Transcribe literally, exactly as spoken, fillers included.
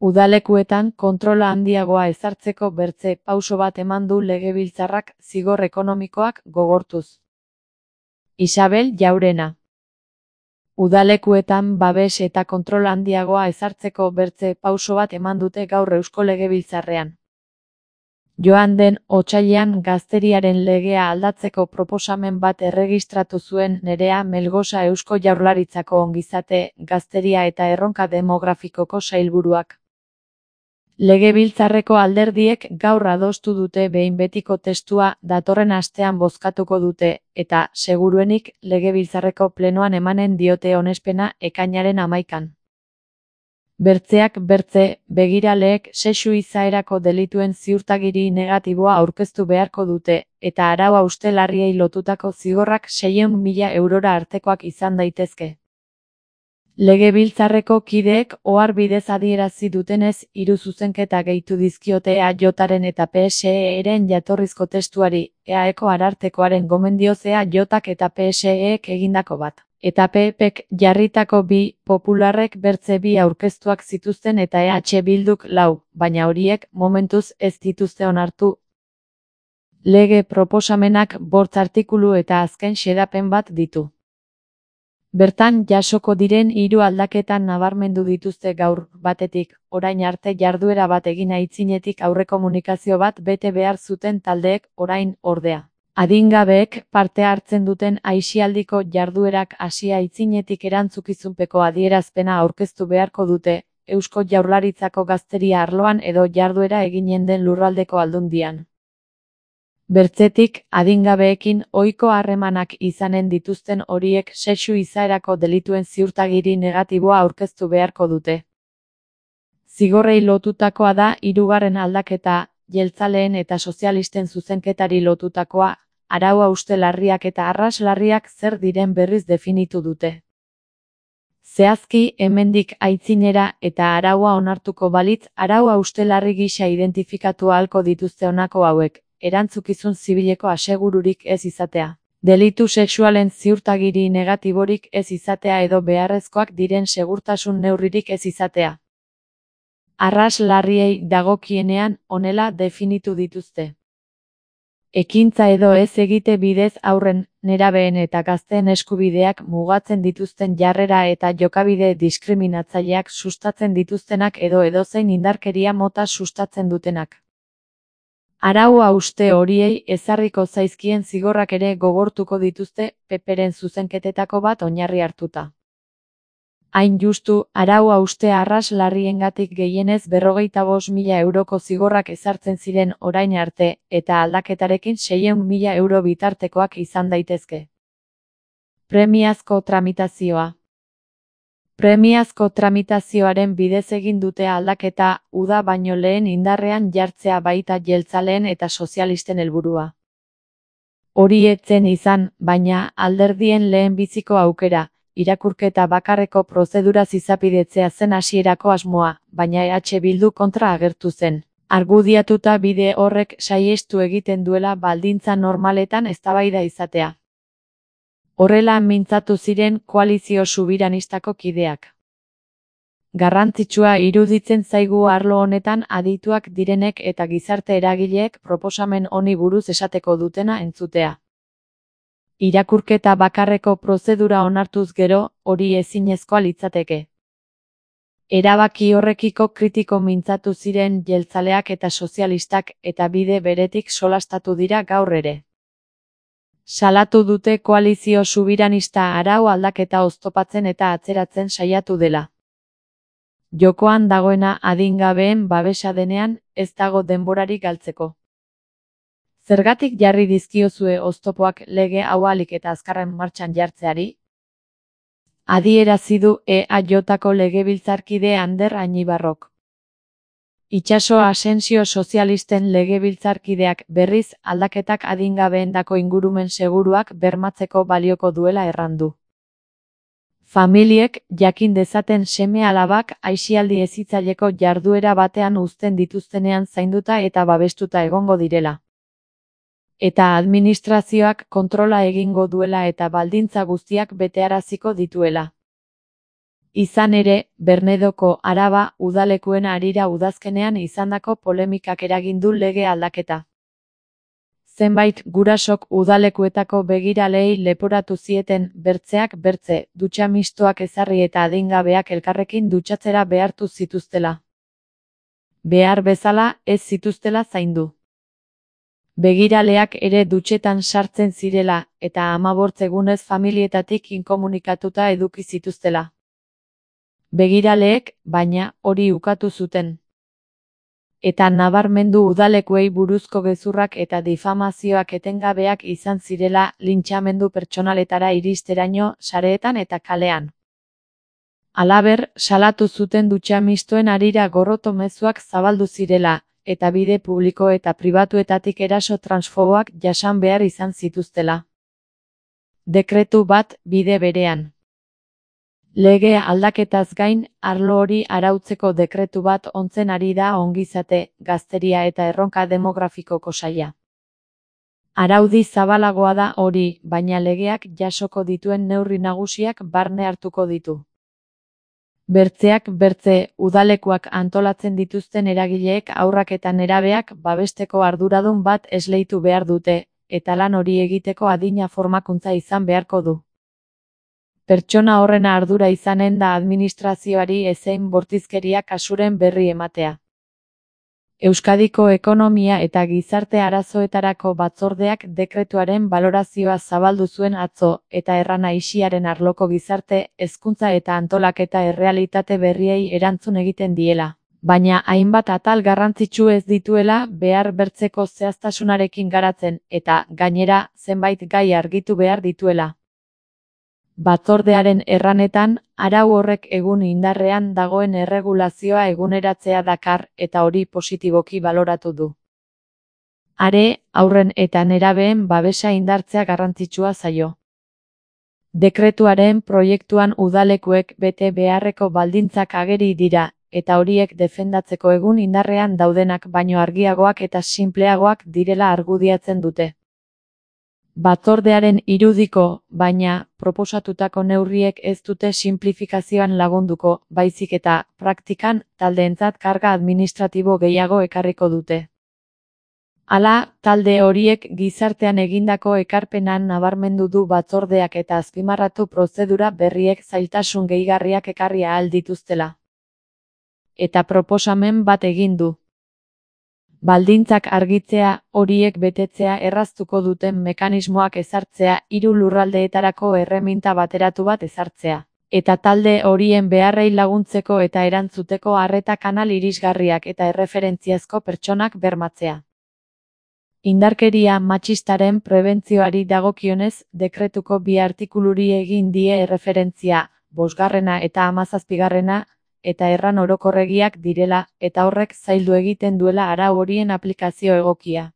Udalekuetan kontrola handiagoa ezartzeko bertze pauso bat eman du Legebiltzarrak zigor ekonomikoak gogortuz. Isabel Jaurena. Udalekuetan babes eta kontrol handiagoa ezartzeko bertze pauso bat eman dute gaur Eusko Legebiltzarrean. Joan den otsailean gazteriaren legea aldatzeko proposamen bat erregistratu zuen Nerea Melgosa Eusko Jaurlaritzako ongizate, gazteria eta erronka demografikoko sailburuak. Legebiltzarreko alderdiek gaur adostu dute behin betiko testua datorren astean bozkatuko dute, eta, seguruenik, Legebiltzarreko plenoan emanen diote onespena ekainaren hamaikan. Bertzeak bertze, begiraleek sexu izaerako delituen ziurtagiri negatiboa aurkeztu beharko dute, eta arau hauste larriei lotutako zigorrak seiehun mila eurora artekoak izan daitezke. Legebiltzarreko kideek ohar bidez adierazi dutenez, hiru zuzenketa gehitu dizkiote E A Jaren eta P S E-ren jatorrizko testuari, E A Eko arartekoaren gomendioz E A Jak eta P S E-ek egindako bat. Eta P Pek jarritako bi, popularrek bertze bi aurkeztuak zituzten eta E H Bilduk lau, baina horiek momentuz ez dituzte onartu. Lege proposamenak bost artikulu eta azken xedapen bat ditu. Bertan jasoko diren hiru aldaketan nabarmendu dituzte gaur, batetik, orain arte jarduera bat egin aitzinetik aurrekomunikazio bat bete behar zuten taldeek, orain, ordea. Adingabeek parte hartzen duten aisialdiko jarduerak hasi aitzinetik erantzukizunpeko adierazpena aurkeztu beharko dute, Eusko Jaurlaritzako gazteria arloan edo jarduera eginen den lurraldeko aldundian. Bertzetik, adingabeekin ohiko harremanak izanen dituzten horiek sexu izaerako delituen ziurtagiri negatiboa aurkeztu beharko dute. Zigorrei lotutakoa da hirugarren aldaketa, jeltzaleen eta sozialisten zuzenketari lotutakoa, arau hauste larriak eta arras larriak zer diren berriz definitu dute. Zehazki, hemendik aitzinera eta araua onartuko balitz, arau hauste larri gisa identifikatu ahalko dituzte honako hauek. Erantzukizun zibileko asegururik ez izatea. Delitu sexualen ziurtagiri negatiborik ez izatea edo beharrezkoak diren segurtasun neurririk ez izatea. Arras larriei dagokienean honela definitu dituzte. Ekintza edo ez egite bidez haurren, nerabeen eta gazteen eskubideak mugatzen dituzten jarrera eta jokabide diskriminatzaileak sustatzen dituztenak edo edozein indarkeria mota sustatzen dutenak. Arau hauste horiei ezarriko zaizkien zigorrak ere gogortuko dituzte P Pren zuzenketetako bat oinarri hartuta. Hain justu, arau hauste arras larriengatik gehienez berrogeita bost mila euroko zigorrak ezartzen ziren orain arte, eta aldaketarekin seiehun mila euro bitartekoak izan daitezke. Premiazko tramitazioa. Premiazko tramitazioaren bidez egin dute aldaketa, uda baino lehen indarrean jartzea baita jeltzaleen eta sozialisten helburua. Hori ez zen izan, baina alderdien lehenbiziko aukera, irakurketa bakarreko prozeduraz izapidetzea zen hasierako asmoa, baina E H Bildu kontra agertu zen. Argudiatuta bide horrek saihestu egiten duela baldintza normaletan eztabaida izatea. Horrela mintzatu ziren koalizio subiranistako kideak. Garrantzitsua iruditzen zaigu arlo honetan adituak direnek eta gizarte eragileek proposamen honi buruz esateko dutena entzutea. Irakurketa bakarreko prozedura onartuz gero, hori ezinezkoa litzateke. Erabaki horrekiko kritiko mintzatu ziren jeltzaleak eta sozialistak eta bide beretik solastatu dira gaur ere. Salatu dute koalizio subiranista arau aldaketa oztopatzen eta atzeratzen saiatu dela. Jokoan dagoena adingabeen babesa denean, ez dago denborarik galtzeko. Zergatik jarri dizkiozue oztopoak lege hau ahalik eta azkarren martxan jartzeari? Adierazi du E A Jko legebiltzarkide Ander Añibarrok. Itxaso Asensio sozialisten legebiltzarkideak berriz aldaketak adingabeendako ingurumen seguruak bermatzeko balioko duela errandu. Familiek jakin dezaten seme-alabak aisialdi hezitzaileko jarduera batean uzten dituztenean zainduta eta babestuta egongo direla. Eta administrazioak kontrola egingo duela eta baldintza guztiak betearaziko dituela. Izan ere, Bernedoko Araba udalekuen harira udazkenean izandako polemikak eragin du lege aldaketa. Zenbait gurasok udalekuetako begiraleei leporatu zieten bertzeak bertze, dutxa mistoak ezarri eta adingabeak elkarrekin dutxatzera behartu zituztela. Behar bezala ez zituztela zaindu. Begiraleak ere dutxetan sartzen zirela, eta hamabost egunez familietatik inkomunikatuta eduki zituztela. Begiraleek, baina, hori ukatu zuten. Eta nabarmendu udalekuei buruzko gezurrak eta difamazioak etengabeak izan zirela lintxamendu pertsonaletara iristeraino sareetan eta kalean. Halaber, salatu zuten dutxa mistoen harira gorroto mezuak zabaldu zirela, eta bide publiko eta pribatuetatik eraso transfoboak jasan behar izan zituztela. Dekretu bat bide berean. Lege aldaketaz gain, arlo hori arautzeko dekretu bat ontzen ari da ongizate, gazteria eta erronka demografikoko saila. Araudi zabalagoa da hori, baina legeak jasoko dituen neurri nagusiak barne hartuko ditu. Bertzeak bertze, udalekuak antolatzen dituzten eragileek haurrak eta nerabeak babesteko arduradun bat esleitu behar dute, eta lan hori egiteko adina formakuntza izan beharko du. Pertsona horren ardura izanen da administrazioari ezein bortizkeria kasuren berri ematea. Euskadiko Ekonomia eta Gizarte Arazoetarako Batzordeak dekretuaren balorazioa zabaldu zuen atzo, eta errana isiaren arloko gizarte, hezkuntza eta antolaketa errealitate berriei erantzun egiten diela, baina hainbat atal garrantzitsu ez dituela behar bertzeko zehaztasunarekin garatzen, eta, gainera, zenbait gai argitu behar dituela. Batzordearen erranetan, arau horrek egun indarrean dagoen erregulazioa eguneratzea dakar eta hori positiboki baloratu du. Are, haurren eta nerabeen babesa indartzea garrantzitsua zaio. Dekretuaren proiektuan udalekuek bete beharreko baldintzak ageri dira, eta horiek defendatzeko egun indarrean daudenak baino argiagoak eta sinpleagoak direla argudiatzen dute. Batzordearen irudiko, baina, proposatutako neurriek ez dute sinplifikazioan lagunduko, baizik eta, praktikan, taldeentzat karga administratibo gehiago ekarriko dute. Hala, talde horiek gizartean egindako ekarpenan nabarmendu du batzordeak eta azpimarratu prozedura berriek zailtasun gehigarriak ekarri ahal dituztela. Eta proposamen bat egin du. Baldintzak argitzea, horiek betetzea erraztuko duten mekanismoak ezartzea, hiru lurraldeetarako erreminta bateratu bat ezartzea, eta talde horien beharrei laguntzeko eta erantzuteko arreta kanal irisgarriak eta erreferentziazko pertsonak bermatzea. Indarkeria matxistaren prebentzioari dagokionez, dekretuko bi artikuluri egin die erreferentzia, bosgarrena eta hamazazpigarrena, eta erran orokorregiak direla, eta horrek zaildu egiten duela arau horien aplikazio egokia.